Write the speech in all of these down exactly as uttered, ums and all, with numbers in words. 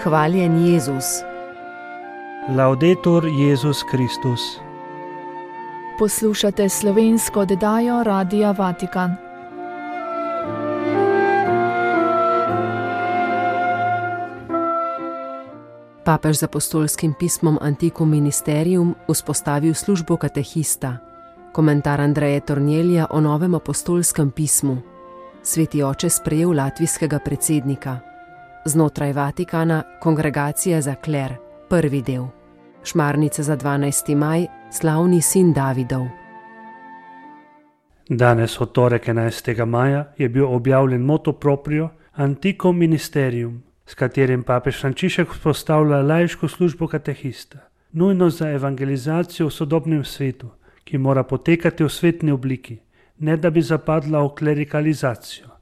Hvaljen Jezus. Laudetur Jezus Kristus. Poslušate slovensko oddajo Radia Vatikan. Papež z apostolskim pismom Antiquum Ministerium vzpostavil službo katehista. Komentar Andreje Tornjelija o novem apostolskem pismu. Sveti oče sprejel latvijskega predsednika. Znotraj Vatikana Kongregacija za kler, prvi del. Šmarnica za dvanajsti maj, slavni sin Davidov. Danes, v torek enajstega maja, je bil objavljen motu proprio Antiquum Ministerium, s katerim papež Frančišek vzpostavlja laiško službo katehista, nujno za evangelizacijo v sodobnem svetu, ki mora potekati v svetni obliki, ne da bi zapadla v klerikalizacijo.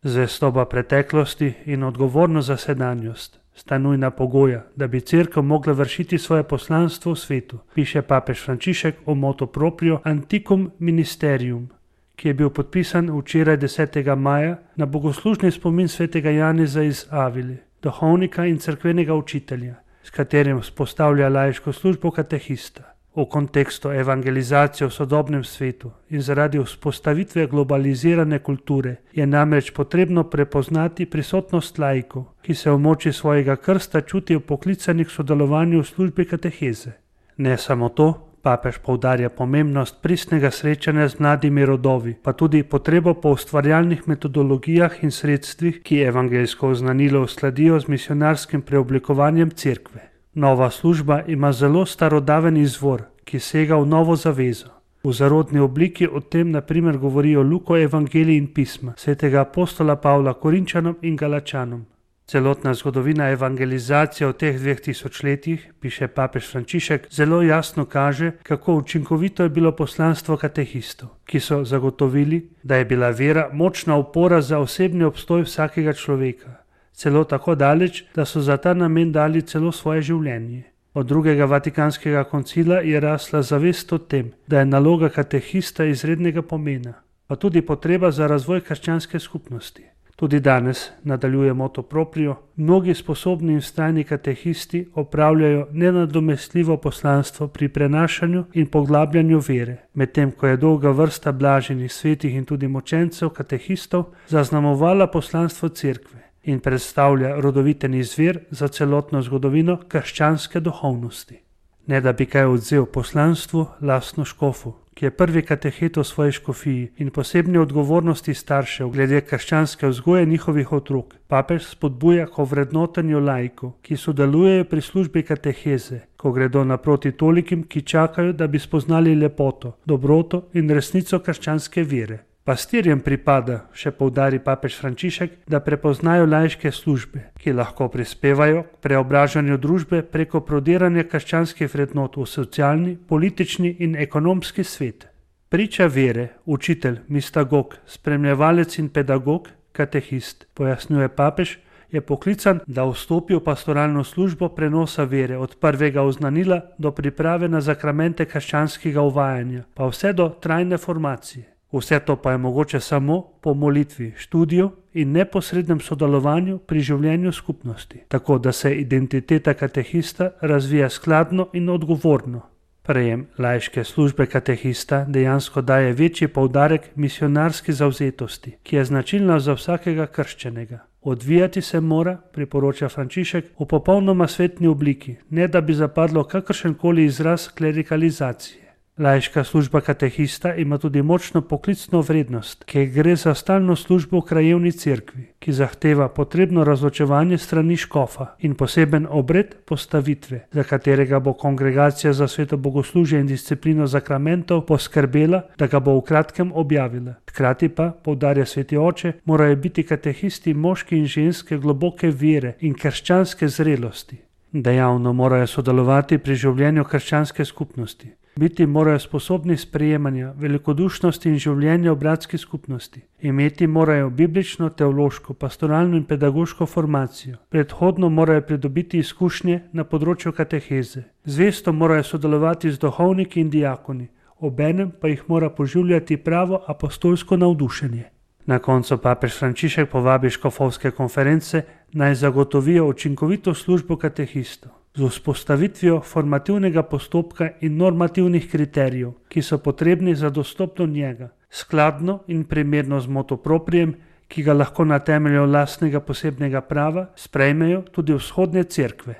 Zvestoba preteklosti in odgovornost za sedanjost sta nujna pogoja, da bi cerkev mogla vršiti svoje poslanstvo v svetu, piše papež Frančišek o motu proprio Antiquum Ministerium, ki je bil podpisan včeraj desetega maja na bogoslužni spomin svetega Janeza iz Avile, duhovnika in cerkvenega učitelja, s katerim vzpostavlja laiško službo katehista. V kontekstu evangelizacije v sodobnem svetu in zaradi vzpostavitve globalizirane kulture je namreč potrebno prepoznati prisotnost laikov, ki se v moči svojega krsta čutijo poklicani k sodelovanju v službi kateheze. Ne samo to, papež poudarja pomembnost pristnega srečanja z mladimi rodovi, pa tudi potrebo po ustvarjalnih metodologijah in sredstvih, ki evangeljsko oznanilo uskladijo z misionarskim preoblikovanjem cerkve. Nova služba ima zelo starodaven izvor, ki sega v novo zavezo. V zarodni obliki o tem na primer govorijo Luko evangelij in pisma, svetega apostola Pavla Korinčanom in Galačanom. Celotna zgodovina evangelizacije v teh dveh tisočletjih, piše papež Frančišek, zelo jasno kaže, kako učinkovito je bilo poslanstvo katehistov, ki so zagotovili, da je bila vera močna opora za osebni obstoj vsakega človeka. Celo tako daleč, da so za ta namen dali celo svoje življenje. Od drugega vatikanskega koncila je rasla zavest o tem, da je naloga katehista izrednega pomena, pa tudi potreba za razvoj krščanske skupnosti. Tudi danes, nadaljuje motu proprio, mnogi sposobni in vztrajni katehisti opravljajo nenadomestljivo poslanstvo pri prenašanju in poglabljanju vere, medtem ko je dolga vrsta blaženih, svetih in tudi močencev katehistov zaznamovala poslanstvo cerkve in predstavlja rodoviten izvir za celotno zgodovino krščanske duhovnosti. Ne da bi kaj odvzel poslanstvu, lastno škofu, ki je prvi katehet v svoji škofiji in posebni odgovornosti staršev glede krščanske vzgoje njihovih otrok, papež spodbuja k ovrednotenju laikov, ki sodelujejo pri službi kateheze, ko gredo naproti tolikim, ki čakajo, da bi spoznali lepoto, dobroto in resnico krščanske vere. Pastirjem pripada, še poudari papež Frančišek, da prepoznajo laiške službe, ki lahko prispevajo k preobražanju družbe preko prodiranja krščanskih vrednot v socialni, politični in ekonomski svet. Priča vere, učitelj, mistagog, spremljevalec in pedagog, katehist, pojasnjuje papež, je poklican, da vstopi v pastoralno službo prenosa vere od prvega oznanila do priprave na zakramente krščanskega uvajanja, pa vse do trajne formacije. Vse to pa je mogoče samo po molitvi, študiju in neposrednem sodelovanju pri življenju skupnosti, tako da se identiteta katehista razvija skladno in odgovorno. Prejem laiške službe katehista dejansko daje večji poudarek misionarski zavzetosti, ki je značilna za vsakega krščenega. Odvijati se mora, priporoča Frančišek, v popolnoma svetni obliki, ne da bi zapadlo kakršenkoli izraz klerikalizacije. Laiška služba katehista ima tudi močno poklicno vrednost, ki gre za stalno službo v krajevni cerkvi, ki zahteva potrebno razločevanje strani škofa in poseben obred postavitve, za katerega bo kongregacija za sveto bogoslužje in disciplino zakramentov poskrbela, da ga bo v kratkem objavila. Hkrati pa, poudarja sveti oče, morajo biti katehisti moški in ženske globoke vere in krščanske zrelosti. Dejavno morajo sodelovati pri življenju krščanske skupnosti. Biti morajo sposobni sprejemanja, velikodušnosti in življenja v bratski skupnosti. Imeti morajo biblično, teološko, pastoralno in pedagoško formacijo. Predhodno morajo pridobiti izkušnje na področju kateheze. Zvesto morajo sodelovati z duhovniki in diakoni, obenem pa jih mora poživljati pravo apostolsko navdušenje. Na koncu papež Frančišek povabi škofovske konference naj zagotovijo učinkovito službo katehistov z vzpostavitvijo formativnega postopka in normativnih kriterijev, ki so potrebni za dostop do njega, skladno in primerno z motu proprijem, ki ga lahko na temelju lastnega posebnega prava sprejmejo tudi vzhodne cerkve.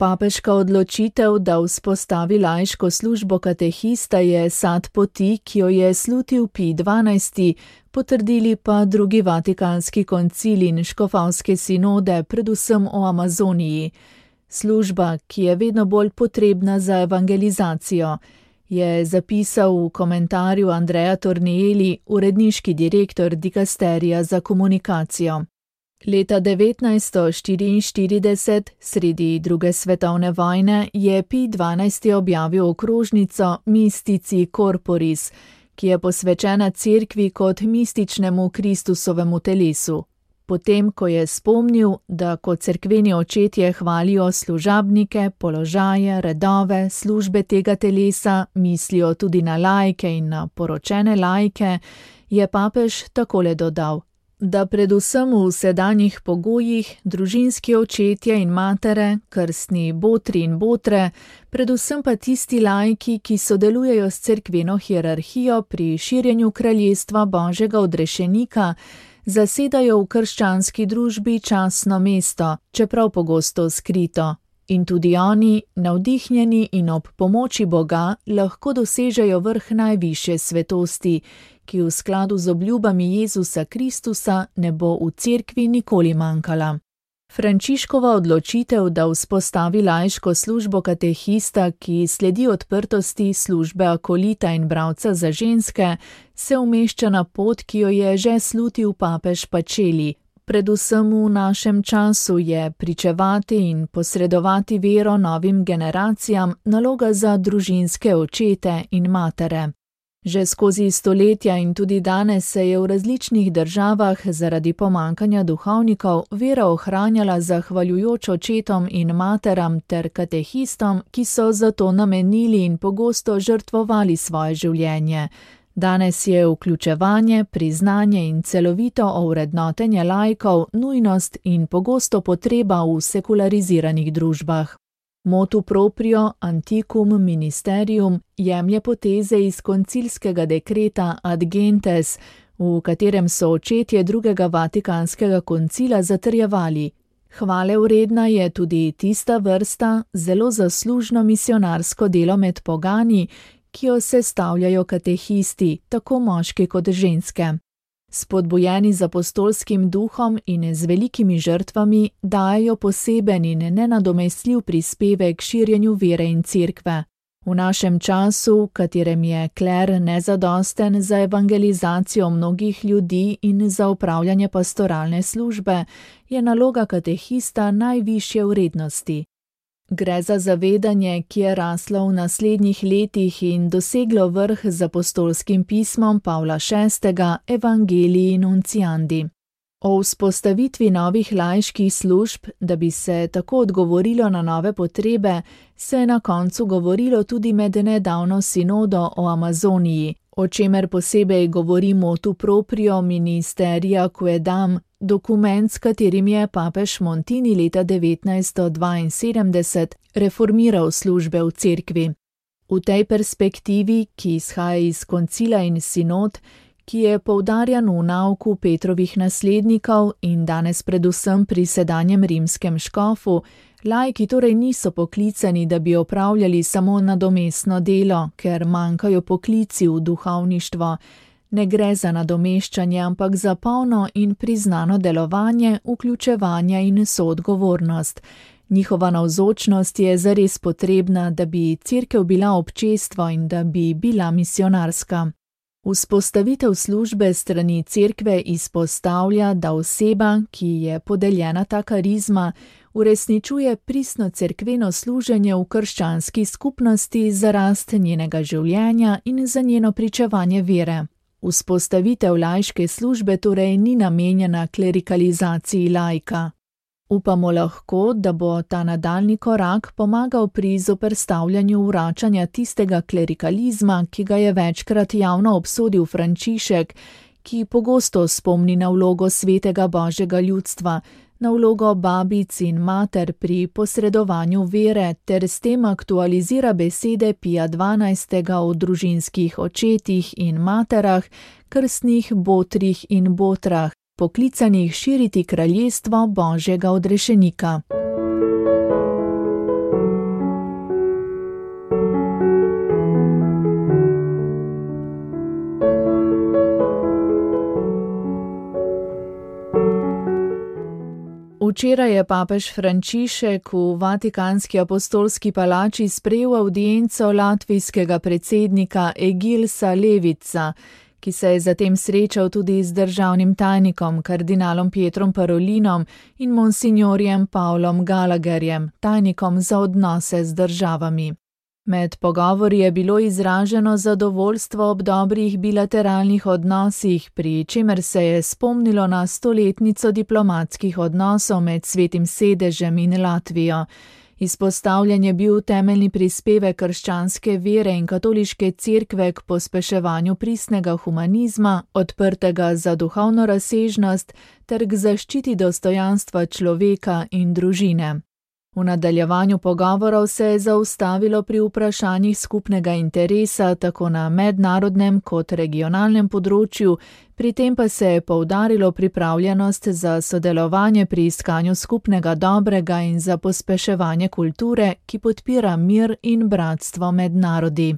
Papeška odločitev, da vzpostavi laiško službo katehista, je sad poti, ki jo je slutil Pij dvanajsti, potrdili pa drugi vatikanski koncil in škofovske sinode, predvsem o Amazoniji. Služba, ki je vedno bolj potrebna za evangelizacijo, je zapisal v komentarju Andrea Tornielli, uredniški direktor dikasterija za komunikacijo. Leta devetnajststo štiriinštirideset, sredi druge svetovne vojne, je Pij dvanajsti objavil okrožnico Mystici Corporis, ki je posvečena cerkvi kot mističnemu Kristusovemu telesu. Potem, ko je spomnil, da kot cerkveni očetje hvalijo služabnike, položaje, redove, službe tega telesa, mislijo tudi na laike in na poročene laike, je papež takole dodal, da predvsem v sedanjih pogojih družinski očetje in matere, krstni botri in botre, predvsem pa tisti laiki, ki sodelujejo s cerkveno hierarhijo pri širjenju kraljestva Božjega odrešenika, zasedajo v krščanski družbi častno mesto, čeprav pogosto skrito. In tudi oni, navdihnjeni in ob pomoči Boga, lahko dosežejo vrh najvišje svetosti, ki v skladu z obljubami Jezusa Kristusa ne bo v cerkvi nikoli manjkala. Frančiškova odločitev, da vzpostavi laiško službo katehista, ki sledi odprtosti službe akolita in bralca za ženske, se umešča na pot, ki jo je že slutil papež Pacelli. Predvsem v našem času je pričevati in posredovati vero novim generacijam naloga za družinske očete in matere. Že skozi stoletja in tudi danes se je v različnih državah zaradi pomankanja duhovnikov vera ohranjala zahvaljujoč očetom in materam ter katehistom, ki so zato namenili in pogosto žrtvovali svoje življenje. Danes je vključevanje, priznanje in celovito ovrednotenje laikov nujnost in pogosto potreba v sekulariziranih družbah. Motu proprio antiquum ministerium jemlje poteze iz koncilskega dekreta Ad Gentes, v katerem so očetje drugega vatikanskega koncila zatrjevali: hvale vredna je tudi tista vrsta, zelo zaslužno misionarsko delo med pogani, ki jo sestavljajo katehisti, tako moški kot ženske. Spodbujeni z apostolskim duhom in z velikimi žrtvami, dajejo poseben in nenadomestljiv prispevek k širjenju vere in cerkve. V našem času, v katerem je kler nezadosten za evangelizacijo mnogih ljudi in za upravljanje pastoralne službe, je naloga katehista najvišje vrednosti. Gre za zavedanje, ki je raslo v naslednjih letih in doseglo vrh z apostolskim pismom Pavla šestega Evangelii Nunciandi. O vzpostavitvi novih laiških služb, da bi se tako odgovorilo na nove potrebe, se je na koncu govorilo tudi med nedavno sinodo o Amazoniji, o čemer posebej govori motu proprio ministeria quaedam, dokument, s katerim je papež Montini leta devetnajststo dvainsedemdeset reformiral službe v cerkvi. V tej perspektivi, ki izhaja iz koncila in sinod, ki je poudarjan v nauku Petrovih naslednikov in danes predvsem pri sedanjem rimskem škofu, laiki torej niso poklicani, da bi opravljali samo nadomestno delo, ker manjkajo poklici v duhovništvo. Ne gre za nadomeščanje, ampak za polno in priznano delovanje, vključevanje in soodgovornost. Njihova navzočnost je zares potrebna, da bi cerkev bila občestvo in da bi bila misionarska. Vzpostavitev službe strani cerkve izpostavlja, da oseba, ki je podeljena ta karizma, uresničuje pristno cerkveno služenje v krščanski skupnosti za rast njenega življenja in za njeno pričevanje vere. Vzpostavitev laiške službe torej ni namenjena klerikalizaciji laika. Upamo lahko, da bo ta nadaljni korak pomagal pri zoperstavljanju vračanja tistega klerikalizma, ki ga je večkrat javno obsodil Frančišek, ki pogosto spomni na vlogo svetega Božjega ljudstva, na vlogo babic in mater pri posredovanju vere ter s tem aktualizira besede Pija dvanajstega o družinskih očetih in materah, krstnih botrih in botrah, poklicanih širiti kraljestvo Božjega odrešenika. Včeraj je papež Frančišek v Vatikanski apostolski palači sprejel avdienco latvijskega predsednika Egilsa Levica, ki se je zatem srečal tudi z državnim tajnikom kardinalom Pietrom Parolinom in monsignorjem Pavlom Gallagherjem, tajnikom za odnose z državami. Med pogovori je bilo izraženo zadovoljstvo ob dobrih bilateralnih odnosih, pri čemer se je spomnilo na stoletnico diplomatskih odnosov med Svetim sedežem in Latvijo. Izpostavljen je bil temeljni prispevek krščanske vere in katoliške cerkve k pospeševanju pristnega humanizma, odprtega za duhovno razsežnost ter k zaščiti dostojanstva človeka in družine. V nadaljevanju pogovorov se je zaustavilo pri vprašanjih skupnega interesa tako na mednarodnem kot regionalnem področju, pri tem pa se je poudarilo pripravljenost za sodelovanje pri iskanju skupnega dobrega in za pospeševanje kulture, ki podpira mir in bratstvo med narodi.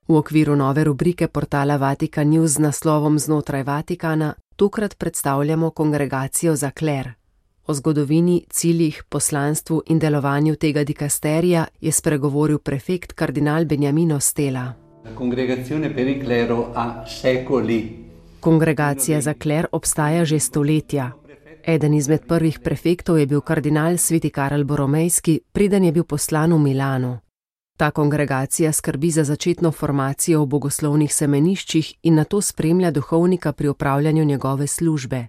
V okviru nove rubrike portala Vatikan News z naslovom Znotraj Vatikana tokrat predstavljamo Kongregacijo za kler. O zgodovini, ciljih, poslanstvu in delovanju tega dikasterija je spregovoril prefekt kardinal Beniamino Stella. Kongregacija za kler obstaja že stoletja. Eden izmed prvih prefektov je bil kardinal sveti Karel Boromejski, preden je bil poslan v Milano. Ta kongregacija skrbi za začetno formacijo v bogoslovnih semeniščih in nato spremlja duhovnika pri opravljanju njegove službe.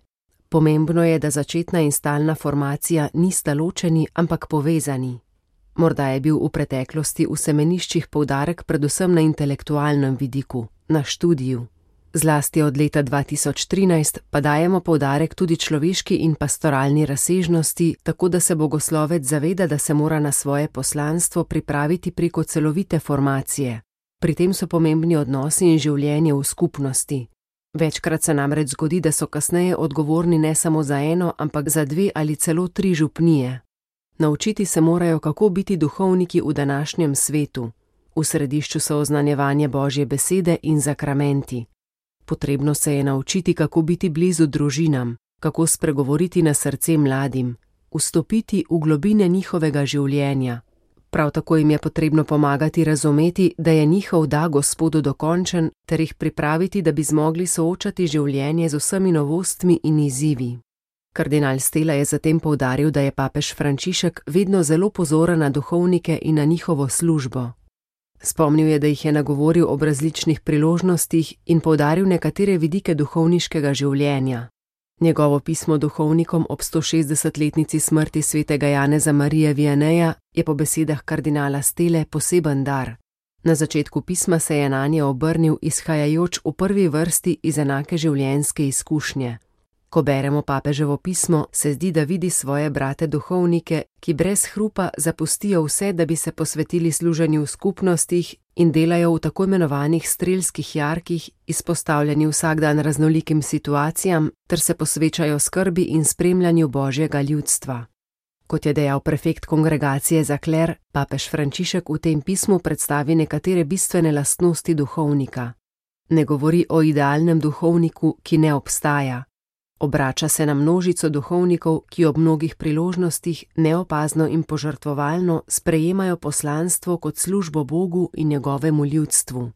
Pomembno je, da začetna in stalna formacija nista ločeni, ampak povezani. Morda je bil v preteklosti v semeniščih poudarek predvsem na intelektualnem vidiku, na študiju. Zlasti od leta dva tisoč trinajst pa dajemo poudarek tudi človeški in pastoralni razsežnosti, tako da se bogoslovec zaveda, da se mora na svoje poslanstvo pripraviti preko celovite formacije. Pri tem so pomembni odnosi in življenje v skupnosti. Večkrat se namreč zgodi, da so kasneje odgovorni ne samo za eno, ampak za dve ali celo tri župnije. Naučiti se morajo, kako biti duhovniki v današnjem svetu. V središču so oznanjevanje Božje besede in zakramenti. Potrebno se je naučiti, kako biti blizu družinam, kako spregovoriti na srce mladim, vstopiti v globine njihovega življenja. Prav tako jim je potrebno pomagati razumeti, da je njihov da Gospodu dokončen, ter jih pripraviti, da bi zmogli soočati življenje z vsemi novostmi in izzivi. Kardinal Stella je zatem poudaril, da je papež Frančišek vedno zelo pozoren na duhovnike in na njihovo službo. Spomnil je, da jih je nagovoril ob različnih priložnostih in poudaril nekatere vidike duhovniškega življenja. Njegovo pismo duhovnikom ob stošestdesetletnici smrti svetega Janeza Marija Vianeja je po besedah kardinala Stelle poseben dar. Na začetku pisma se je nanje obrnil izhajajoč v prvi vrsti iz enake življenjske izkušnje. Ko beremo papeževo pismo, se zdi, da vidi svoje brate duhovnike, ki brez hrupa zapustijo vse, da bi se posvetili služenju v skupnostih in delajo v tako imenovanih strelskih jarkih, izpostavljeni vsak dan raznolikim situacijam, ter se posvečajo skrbi in spremljanju Božjega ljudstva. Kot je dejal prefekt kongregacije za kler, papež Frančišek v tem pismu predstavi nekatere bistvene lastnosti duhovnika. Ne govori o idealnem duhovniku, ki ne obstaja. Obrača se na množico duhovnikov, ki ob mnogih priložnostih neopazno in požrtvovalno sprejemajo poslanstvo kot službo Bogu in njegovemu ljudstvu.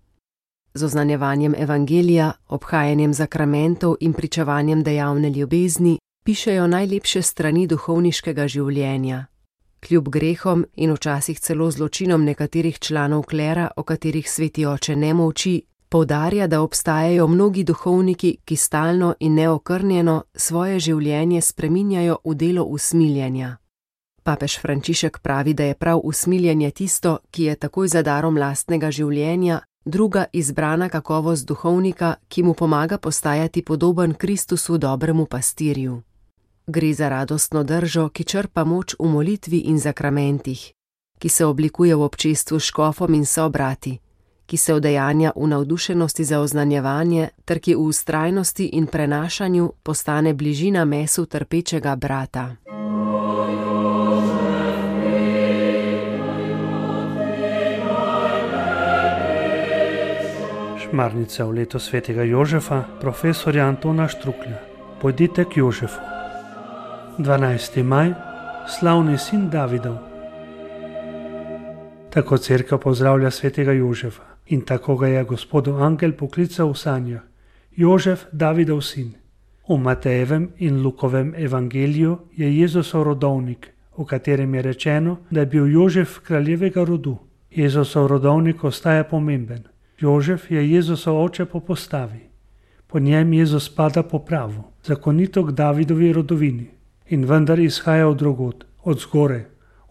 Z oznanjevanjem evangelija, obhajanjem zakramentov in pričevanjem dejavne ljubezni pišejo najlepše strani duhovniškega življenja. Kljub grehom in včasih celo zločinom nekaterih članov klera, o katerih sveti oče ne molči, poudarja, da obstajajo mnogi duhovniki, ki stalno in neokrnjeno svoje življenje spreminjajo v delo usmiljenja. Papež Frančišek pravi, da je prav usmiljenje tisto, ki je takoj za darom lastnega življenja, druga izbrana kakovost duhovnika, ki mu pomaga postajati podoben Kristusu, dobremu pastirju. Gre za radostno držo, ki črpa moč v molitvi in zakramentih, ki se oblikuje v občestvu s škofom in sobrati, ki se udejanja v navdušenosti za oznanjevanje ter ki v vztrajnosti in prenašanju postane bližina mesu trpečega brata. Šmarnica v leto svetega Jožefa, profesorja Antona Štruklja. Pojdite k Jožefu. dvanajsti maj, slavni sin Davidov. Tako cerkev pozdravlja svetega Jožefa in tako ga je Gospodu angel poklical v sanjah. Jožef, Davidov sin. V Matejevem in Lukovem evangeliju je Jezusov rodovnik, v katerem je rečeno, da je bil Jožef kraljevega rodu. Jezusov rodovnik ostaja pomemben. Jožef je Jezusov oče po postavi. Po njem Jezus spada po pravu, zakonito k Davidovi rodovini. In vendar izhaja od drugod, od zgore,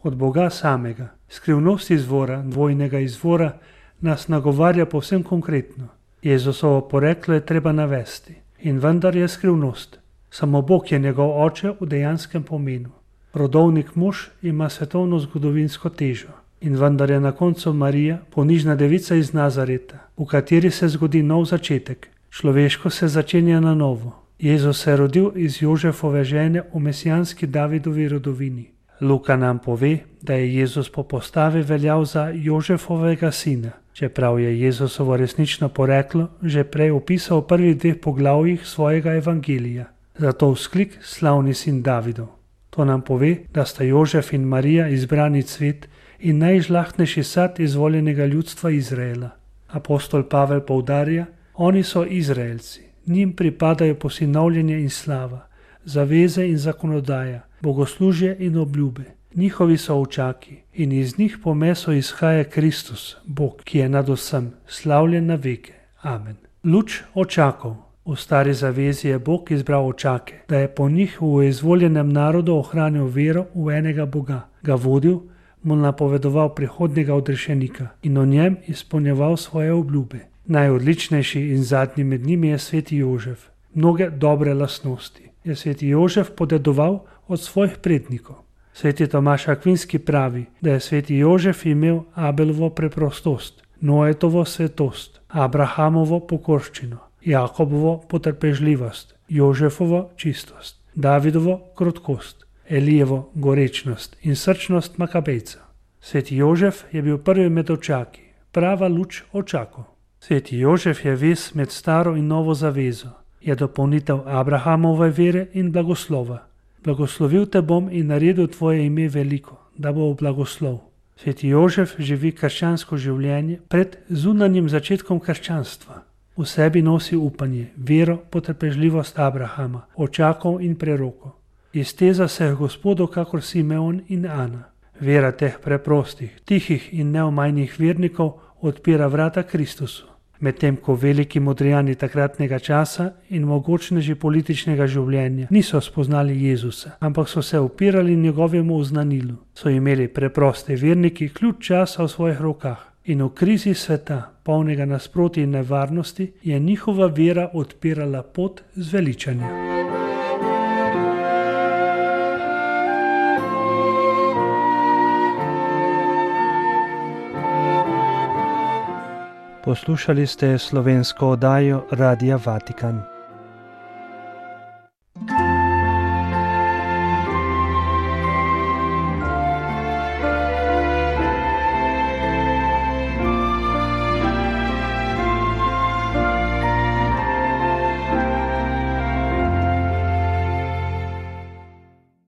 od Boga samega. Skrivnost izvora, dvojnega izvora, nas nagovarja povsem konkretno. Jezusovo poreklo je treba navesti. In vendar je skrivnost. Samo Bog je njegov oče v dejanskem pomenu. Rodovnik mož ima svetovno zgodovinsko težo. In vendar je na koncu Marija, ponižna devica iz Nazareta, v kateri se zgodi nov začetek. Človeško se začenja na novo. Jezus se je rodil iz Jožefove žene v mesijanski Davidovi rodovini. Luka nam pove, da je Jezus po postavi veljal za Jožefovega sina, čeprav je Jezusovo resnično poreklo že prej opisal v prvih dveh poglavjih svojega evangelija. Zato vzklik slavni sin Davidov. To nam pove, da sta Jožef in Marija izbrani cvet in najžlahtnejši sad izvoljenega ljudstva Izraela. Apostol Pavel poudarja, oni so Izraelci, njim pripadajo posinovljenje in slava, zaveze in zakonodaja, bogoslužje in obljube. Njihovi so očaki in iz njih po meso izhaja Kristus, Bog, ki je nad vsem, slavljen na veke. Amen. Luč očakov. V stari zavezi je Bog izbral očake, da je po njih v izvoljenem narodu ohranil vero v enega Boga, ga vodil, mu napovedoval prihodnjega odrešenika in o njem izpolnjeval svoje obljube. Najodličnejši in zadnji med njimi je sveti Jožef. Mnoge dobre lastnosti je sveti Jožef podedoval od svojih prednikov. Sveti Tomaž Akvinski pravi, da je sveti Jožef imel Abelovo preprostost, Noetovo svetost, Abrahamovo pokorščino, Jakobovo potrpežljivost, Jožefovo čistost, Davidovo krotkost, Elijevo gorečnost in srčnost Makabejca. Sveti Jožef je bil prvi med očaki, prava luč očakov. Sveti Jožef je vez med staro in novo zavezo, je dopolnitev Abrahamove vere in blagoslova. Blagoslovil te bom in naredil tvoje ime veliko, da bo v blagoslov. Sveti Jožef živi krščansko življenje pred zunanjim začetkom krščanstva. V sebi nosi upanje, vero, potrpežljivost Abrahama, očakov in prerokov. Izteza se je Gospodu kakor Simeon in Ana. Vera teh preprostih, tihih in neomajnih vernikov odpira vrata Kristusu. Medtem ko veliki modrijani takratnega časa in mogočneži političnega življenja niso spoznali Jezusa, ampak so se upirali njegovemu oznanilu, so imeli preproste verniki ključ časa v svojih rokah in v krizi sveta, polnega nasprotij in nevarnosti, je njihova vera odpirala pot zveličanja. Poslušali ste slovensko oddajo Radia Vatikan.